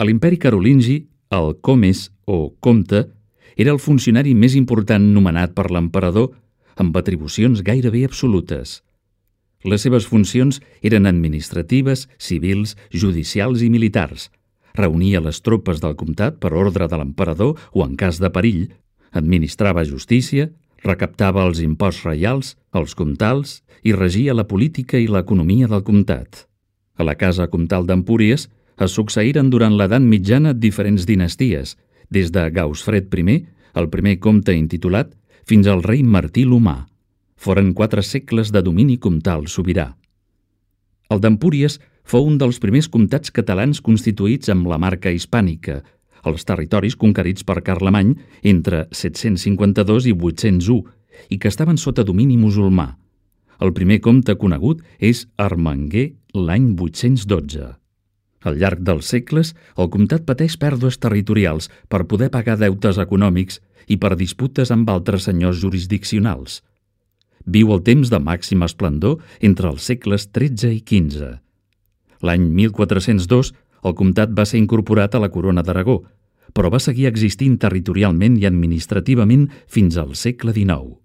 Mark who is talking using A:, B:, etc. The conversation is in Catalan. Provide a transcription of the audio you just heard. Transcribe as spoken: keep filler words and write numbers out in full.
A: A l'imperi carolingi, el comes o comte era el funcionari més important nomenat per l'emperador, amb atribucions gairebé absolutes. Les seves funcions eren administratives, civils, judicials i militars. Reunia les tropes del comtat per ordre de l'emperador o en cas de perill, administrava justícia, recaptava els imposts reials, els comtals i regia la política i l'economia del comtat. A la casa comtal d'Empúries es succeïren durant l'edat mitjana diferents dinasties, des de Gausfred I, el primer comte intitulat, fins al rei Martí l'Humà. Foren quatre segles de domini comtal sobirà. El d'Empúries fou un dels primers comtats catalans constituïts amb la marca hispànica, els territoris conquerits per Carlemany entre set-cents cinquanta-dos i vuit-cents u i que estaven sota domini musulmà. El primer comte conegut és Ermenguer l'any vuit-cents dotze. Al llarg dels segles, el comtat pateix pèrdues territorials per poder pagar deutes econòmics i per disputes amb altres senyors jurisdiccionals. Viu el temps de màxima esplendor entre els segles tretze i quinze. L'any mil quatre-cents dos, el comtat va ser incorporat a la corona d'Aragó, però va seguir existint territorialment i administrativament fins al segle dinou.